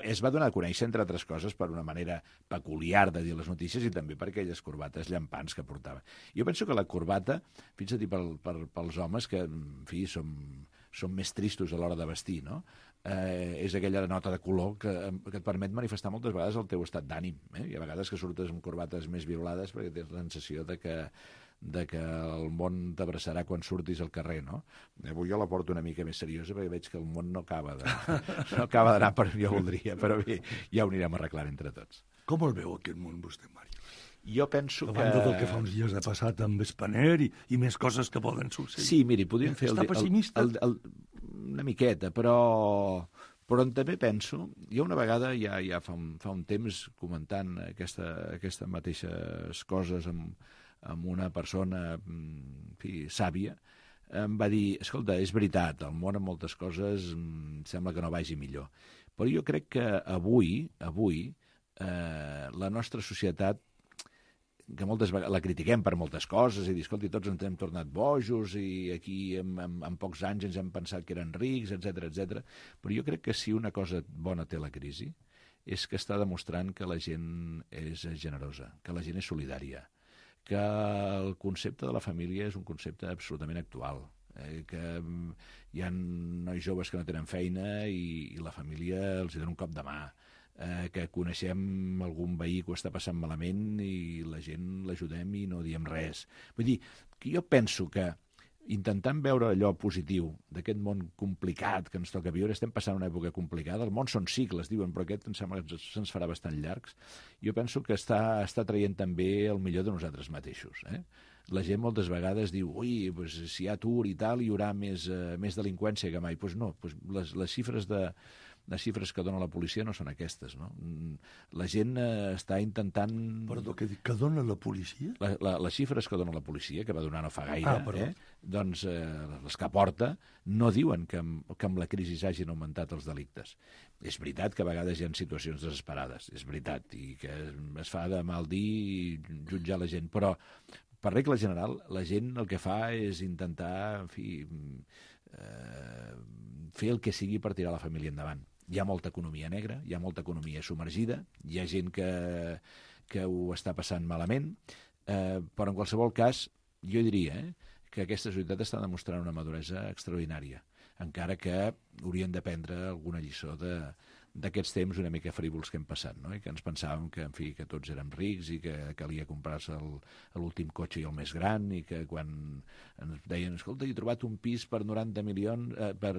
Es va donar a conèixer, entre altres coses, per una manera peculiar de dir les notícies i també per aquelles corbates llampants que portava. Jo penso que la corbata, fins a dir pels homes, que, en fi, som més tristos a l'hora de vestir, no? És aquella nota de color que et permet manifestar moltes vegades el teu estat d'ànim. I a vegades que surtes amb corbates més violades perquè tens la sensació de que el món t'abraçarà quan surtis al carrer, no? Avui jo la porto una mica més seriosa perquè veig que el món no acaba d'anar per on jo voldria, però bé, ja ho anirem arreglant entre tots. Com el veu aquest món vostè, Màrius? Jo penso que... A banda del que fa uns dies ha passat amb Spanair i més coses que poden succeir. Sí, miri, podríem fer... Està pessimista? Una miqueta, però també penso... Jo una vegada, ja fa un temps, comentant aquestes mateixes coses amb una persona, en fi, sàvia, em va dir, escolta, és veritat, el món en moltes coses sembla que no vagi millor. Però jo crec que avui la nostra societat, que moltes vegades la critiquem per moltes coses i dir, escolta, tots ens hem tornat bojos i aquí en pocs anys ens hem pensat que eren rics, etc. Però jo crec que si una cosa bona té la crisi és que està demostrant que la gent és generosa, que la gent és solidària, que el concepte de la família és un concepte absolutament actual, que hi ha nois joves que no tenen feina i la família els dona un cop de mà, que coneixem algun veí que ho està passant malament i la gent l'ajudem i no diem res. Vull dir, que jo penso que intentant veure allò positiu d'aquest món complicat que ens toca viure, estem passant una època complicada, el món són cicles, diuen, però aquest em sembla que se'ns farà bastant llargs, jo penso que està traient també el millor de nosaltres mateixos, eh? La gent moltes vegades diu, ui, pues, si hi ha atur i tal, hi haurà més delinqüència que mai. Doncs no, les xifres que dona la policia no són aquestes, no? La gent està intentant... Perdó, què dic? Que dona la policia? Les xifres que dona la policia, que va donar no fa gaire, doncs les que aporta, no diuen que amb la crisi hagin augmentat els delictes. És veritat que a vegades hi ha situacions desesperades, és veritat, i que es fa de mal dir i jutjar la gent, però per regla general la gent el que fa és intentar, en fi, fer el que sigui per tirar la família endavant. Hi ha molta economia negra, hi ha molta economia submergida, hi ha gent que ho està passant malament, però en qualsevol cas jo diria que aquesta societat està demostrant una maduresa extraordinària, encara que haurien d'aprendre alguna lliçó d'aquests temps una mica frívols que hem passat, no? I que ens pensàvem que, en fi, que tots érem rics i que calia comprar-se l'últim cotxe i el més gran, i que quan ens deien, escolta, he trobat un pis per 90 milions, de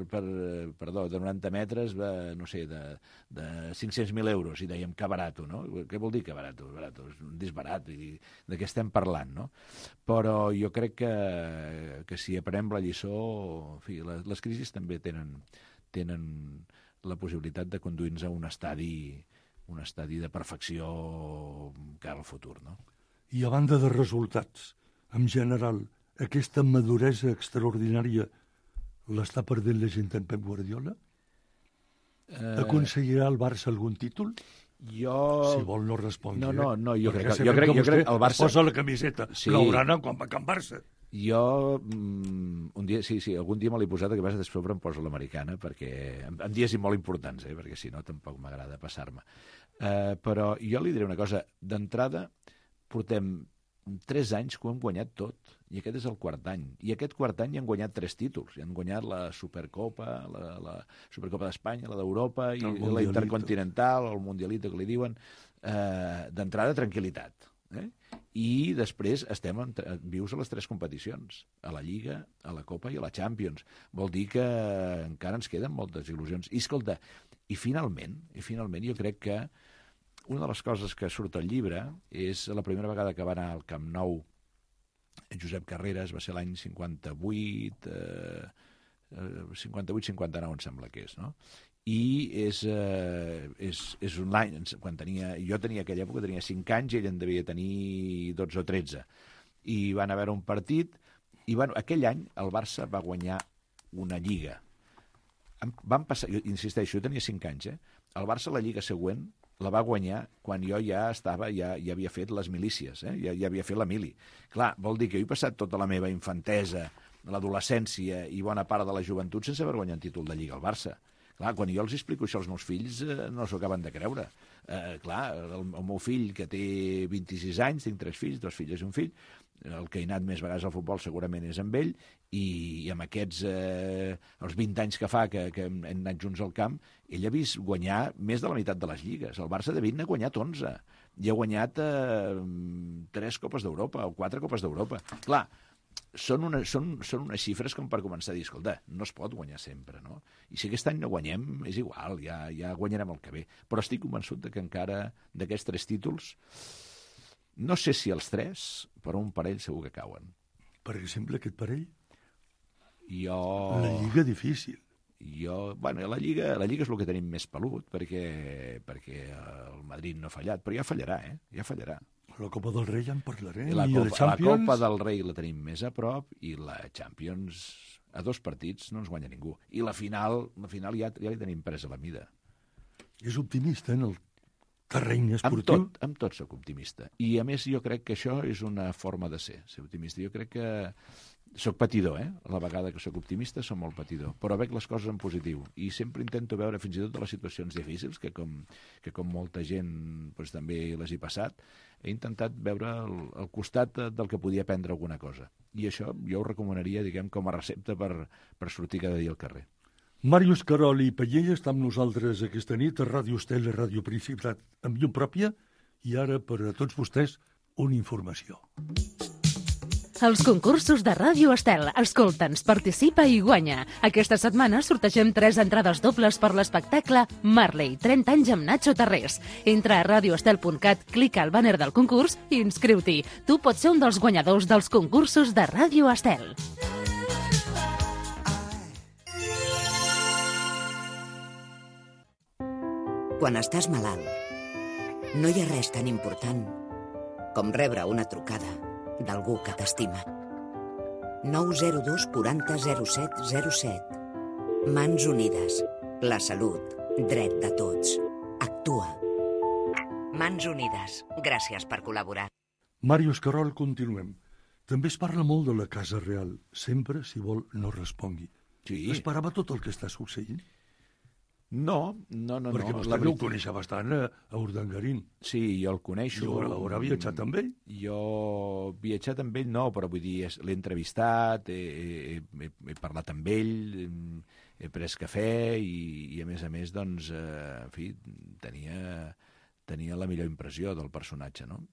90 metres, no sé, de 500.000 euros, i dèiem que barato, no? Què vol dir que barato? Barato, és un disbarat, i de què estem parlant, no? Però jo crec que si aprenem la lliçó, en fi, les crisis també tenen la possibilitat de conduir-nos a un estadi de perfecció cara al futur, no? I a banda de resultats, en general, aquesta maduresa extraordinària l'està perdent la gent en Pep Guardiola? Aconseguirà el Barça algun títol? Si vol no respongui. No, jo crec que el Barça... Es posa la camiseta blaugrana quan va a Can Barça. Jo, un dia, sí, algun dia me l'he posat, que vas després em poso l'americana, perquè en dies molt importants, perquè si no tampoc m'agrada passar-me. Però jo li diré una cosa, d'entrada portem 3 anys que ho hem guanyat tot, i aquest és el quart any. I aquest quart any han guanyat 3 títols, i han guanyat la Supercopa, la Supercopa d'Espanya, la d'Europa, i la Intercontinental, el Mundialito, que li diuen. D'entrada, tranquil·litat. I després estem vius a les 3 competicions, a la Lliga, a la Copa i a la Champions. Vol dir que encara ens queden moltes il·lusions. I escolta, i finalment jo crec que una de les coses que surt al llibre és la primera vegada que va anar al Camp Nou Josep Carreras, va ser l'any 58, 58-59 em sembla que és, no? I és un any, jo tenia aquella època, tenia 5 anys, i ell en devia tenir 12 o 13. I van haver un partit, i aquell any el Barça va guanyar una lliga. Van passar, jo insisteixo, jo tenia 5 anys, el Barça la lliga següent la va guanyar quan jo ja havia fet les milícies, ja havia fet la mili. Clar, vol dir que jo he passat tota la meva infantesa, l'adolescència i bona part de la joventut sense haver guanyat un títol de lliga al Barça. Clar, quan jo els explico això als meus fills, no s'ho acaben de creure. Clar, el meu fill, que té 26 anys, tinc 3 fills, 2 filles i un fill, el que he anat més vegades al futbol segurament és amb ell, i amb aquests, els 20 anys que fa que hem anat junts al camp, ell ha vist guanyar més de la meitat de les lligues. El Barça de 20 n'ha guanyat 11, i ha guanyat 3 Copes d'Europa o 4 Copes d'Europa. Clar, són unes xifres com per començar a dir, escolta, no es pot guanyar sempre, no? I si aquest any no guanyem, és igual, ja guanyarem el que ve. Però estic convençut que encara d'aquests 3 títols, no sé si els 3, però un parell segur que cauen. Per exemple, aquest parell? La Lliga difícil. Bueno, la Lliga és el que tenim més pelut, perquè el Madrid no ha fallat, però ja fallarà, ja fallarà. La Copa del Rei ja en parlarem. La Copa del Rei la tenim més a prop, i la Champions a 2 partits no ens guanya ningú. I la final ja li tenim presa la mida. És optimista en el terreny esportiu? Amb tot soc optimista. I a més jo crec que això és una forma de ser optimista. Jo crec que soc patidor, a la vegada que soc optimista soc molt patidor, però veig les coses en positiu i sempre intento veure fins i tot les situacions difícils, que com molta gent doncs, també les he passat, he intentat veure el costat del que podia aprendre alguna cosa. I això jo ho recomanaria, diguem, com a recepta per sortir cada dia al carrer. Màrius Carol i Pallella està amb nosaltres aquesta nit a Ràdio Estel i Ràdio Principat amb llum pròpia, i ara per a tots vostès una informació. Els concursos de Ràdio Estel. Escolta'ns, participa i guanya. Aquesta setmana sortegem 3 entrades dobles per l'espectacle Marley, 30 anys amb Nacho Tarrés. Entra a radioestel.cat, clica al bàner del concurs i inscriu-t'hi. Tu pots ser un dels guanyadors dels concursos de Ràdio Estel. Quan estàs malalt, no hi ha res tan important com rebre una trucada d'algú que t'estima. 902 40 07 07. Mans Unides. La salut, dret de tots. Actua. Mans Unides. Gràcies per col·laborar. Màrius Carol, continuem. També es parla molt de la Casa Real. Sempre, si vol, no respongui. Sí. Esperava tot el que està succeint? No. Perquè vostè ho coneixia bastant, a Urdangarín. Sí, jo el coneixo. I haurà viatjat amb ell? Jo viatjat amb ell no, però vull dir, l'he entrevistat, he parlat amb ell, he pres cafè i a més, doncs, en fi, tenia la millor impressió del personatge, no?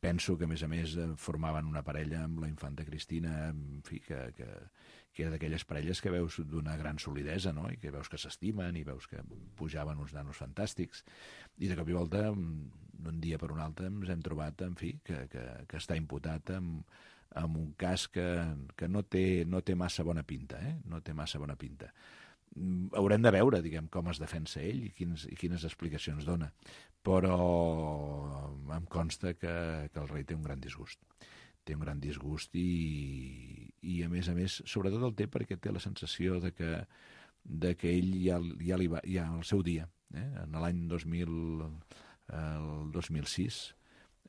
Penso que, a més, formaven una parella amb la infanta Cristina, en fi, que era d'aquelles parelles que veus d'una gran solidesa, no? I que veus que s'estimen i veus que pujaven uns nanos fantàstics. I de cop i volta, d'un dia per un altre, ens hem trobat, en fi, que està imputat amb un cas que no té massa bona pinta, no té massa bona pinta. Haurem de veure, diguem, com es defensa ell i quines explicacions dona. Però em consta que el rei té un gran disgust. Té un gran disgust i a més, sobretot el té perquè té la sensació de que ell ja al seu dia, en l'any 2006,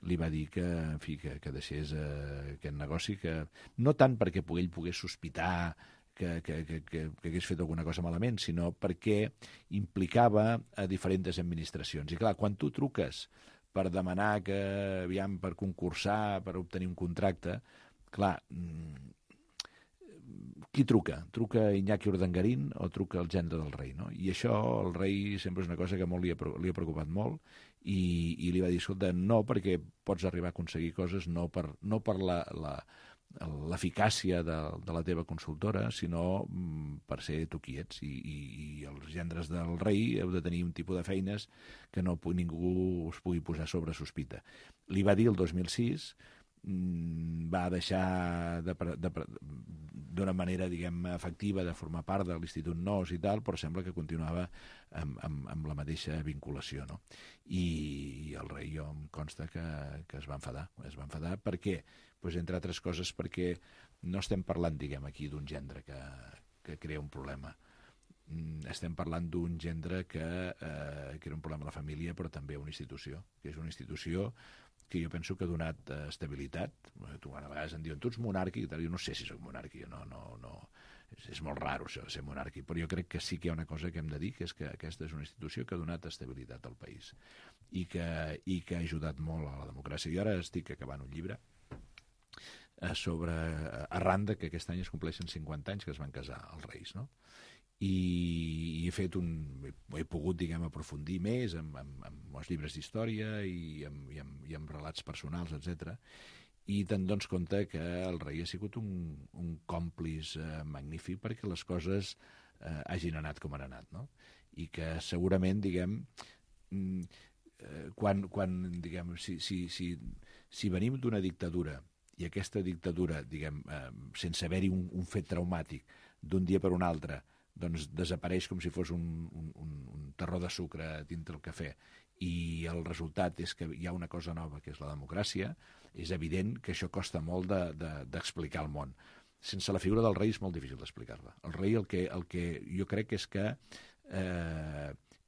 li va dir que deixés aquest negoci, que no tant perquè ell pogués sospitar que hagués fet alguna cosa malament, sinó perquè implicava a diferents administracions. I clar, quan tu truques per demanar per concursar, per obtenir un contracte, clar, qui truca? Truca Iñaki Urdangarín o truca el gendre del rei, no? I això el rei sempre és una cosa que molt li ha preocupat molt i li va dir, escolta, no, perquè pots arribar a aconseguir coses no per l'eficàcia de la teva consultora, sinó per ser tu qui ets. I els gendres del rei heu de tenir un tipus de feines que ningú us pugui posar sobre sospita. Li va dir el 2006, va deixar d'una manera, diguem, efectiva de formar part de l'Institut Nos i tal, però sembla que continuava amb la mateixa vinculació, no? I el rei, jo em consta que es va enfadar. Es va enfadar perquè, doncs, entre altres coses, perquè no estem parlant, diguem, aquí d'un gendre que crea un problema. Estem parlant d'un gendre que era un problema a la família, però també a una institució, que és una institució que jo penso que ha donat estabilitat. Tu a vegades em diuen, tu ets monàrquic, jo no sé si soc monàrquic, no. És molt raro això de ser monàrquic, però jo crec que sí que hi ha una cosa que hem de dir, que és que aquesta és una institució que ha donat estabilitat al país i que ha ajudat molt a la democràcia. Jo ara estic acabant un llibre arran de que aquest any es compleixen 50 anys que es van casar els reis, no? I he pogut, diguem, aprofundir més amb els llibres d'història i amb relats personals, etc. I te'n dones compte que el rei ha sigut un còmplice magnífic perquè les coses hagin anat com han anat, no? I que segurament, diguem, diguem, si venim d'una dictadura i aquesta dictadura, diguem, sense haver-hi un fet traumàtic d'un dia per un altre, doncs desapareix com si fos un terró de sucre dintre el cafè i el resultat és que hi ha una cosa nova que és la democràcia, és evident que això costa molt d'explicar al món. Sense la figura del rei és molt difícil d'explicar-la. El rei el que jo crec és que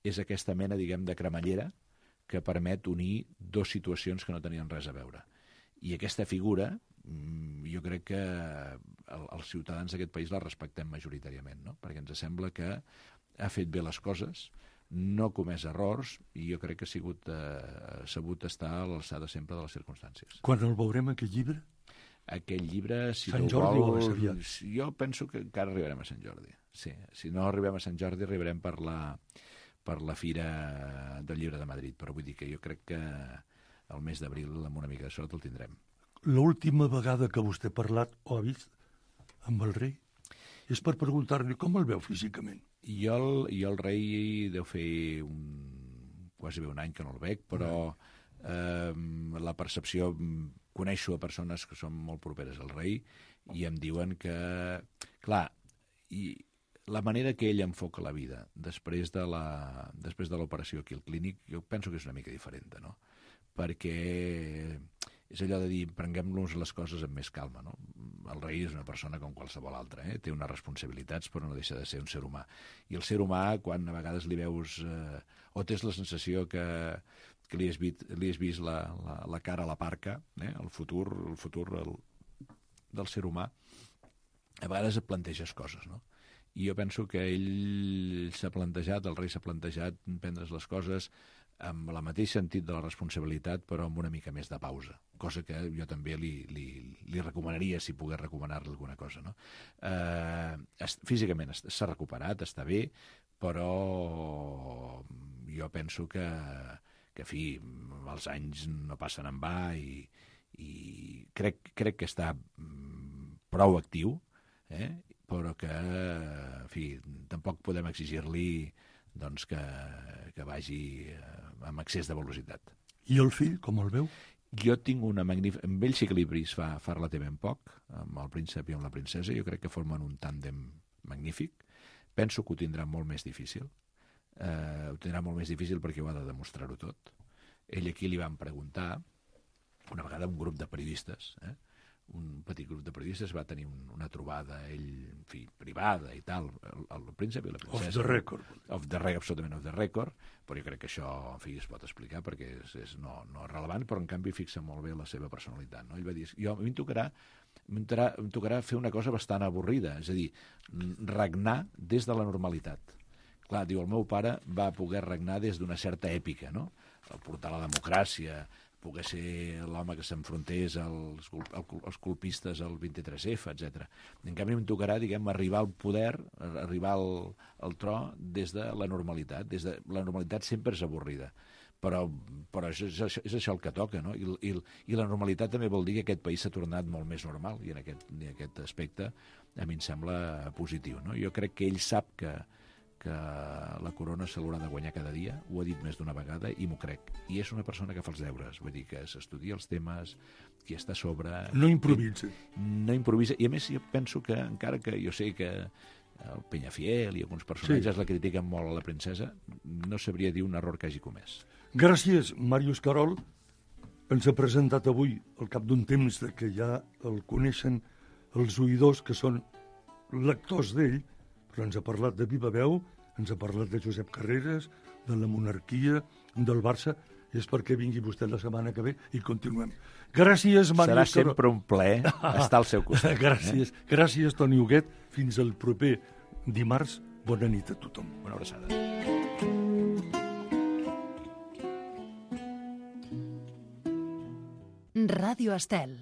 és aquesta mena, diguem, de cremallera que permet unir dues situacions que no tenien res a veure. I aquesta figura, jo crec que els ciutadans d'aquest país la respectem majoritàriament, no? Perquè ens sembla que ha fet bé les coses, no ha comès errors, i jo crec que ha sabut estar a l'alçada sempre de les circumstàncies. Quan el veurem, aquest llibre? Aquest llibre, si Sant tu Jordi vols... o aviat? Jo penso que encara arribarem a Sant Jordi. Sí, si no arribem a Sant Jordi, arribarem per la Fira del Llibre de Madrid, però vull dir que jo crec que el mes d'abril, amb una mica de sort, el tindrem. L'última vegada que vostè ha parlat o ha vist amb el rei és per preguntar-li com el veu físicament. Jo el rei deu fer quasi bé un any que no el veig, però la percepció... Coneixo a persones que són molt properes al rei i em diuen que... Clar, i la manera que ell enfoca la vida després de l'operació aquí al clínic, jo penso que és una mica diferent, no? Perquè és allò de dir, prenguem-nos les coses amb més calma, no? El rei és una persona com qualsevol altra, té unes responsabilitats, però no deixa de ser un ser humà. I el ser humà, quan a vegades li veus, o tens la sensació que li has vist la cara a la parca, el futur del ser humà, a vegades et planteges coses, no? I jo penso que ell s'ha plantejat, el rei s'ha plantejat prendre's les coses amb el mateix sentit de la responsabilitat, però amb una mica més de pausa, cosa que jo també li recomanaria, si pogués recomanar-li alguna cosa, no? Físicament s'ha recuperat, està bé, però jo penso que en fi, els anys no passen en va i crec que està prou actiu, però que, en fi, tampoc podem exigir-li doncs, que vagi amb excés de velocitat. I el fill, com el veu? Jo tinc una magnífica... Amb ell sí que l'Ibris fa relativament poc, amb el príncep i amb la princesa. Jo crec que formen un tàndem magnífic. Penso que ho tindrà molt més difícil. Ho tindrà molt més difícil perquè ho ha de demostrar-ho tot. Ell aquí li van preguntar, una vegada un grup de periodistes, un petit grup de periodistes va tenir una trobada, ell, en fi, privada i tal, el príncep i la princesa. Off the record. Absolutament off the record, però jo crec que això, en fi, es pot explicar perquè és no rellevant, però en canvi fixa molt bé la seva personalitat, no? Ell va dir, a mi em tocarà fer una cosa bastant avorrida, és a dir, regnar des de la normalitat. Clar, diu, el meu pare va poder regnar des d'una certa èpica, no? Portar la democràcia, poder ser l'home que s'enfrontés als colpistes al 23F, etc. En canvi, em tocarà, diguem, arribar al poder, arribar al tro des de la normalitat. La normalitat sempre és avorrida, però és això el que toca, no? I la normalitat també vol dir que aquest país s'ha tornat molt més normal, i en aquest aspecte a mi em sembla positiu, no? Jo crec que ell sap que la corona se l'haurà de guanyar cada dia, ho ha dit més d'una vegada i m'ho crec. I és una persona que fa els deures, vull dir que s'estudia els temes, que està a sobre... No improvisa. No improvisa, i a més jo penso que, encara que jo sé que el Peñafiel i alguns personatges la critiquen molt a la princesa, no sabria dir un error que hagi comès. Gràcies, Màrius Carol. Ens ha presentat avui, al cap d'un temps de que ja el coneixen els oïdors, que són lectors d'ell, però ens ha parlat de viva veu, ens ha parlat de Josep Carreras, de la monarquia, del Barça, i és perquè vingui vostè la setmana que ve i continuem. Gràcies, Màrius Carol. Serà sempre un plaer estar al seu costat. Gràcies. Gràcies, Toni Huguet. Fins al proper dimarts. Bona nit a tothom. Una abraçada. Ràdio Estel.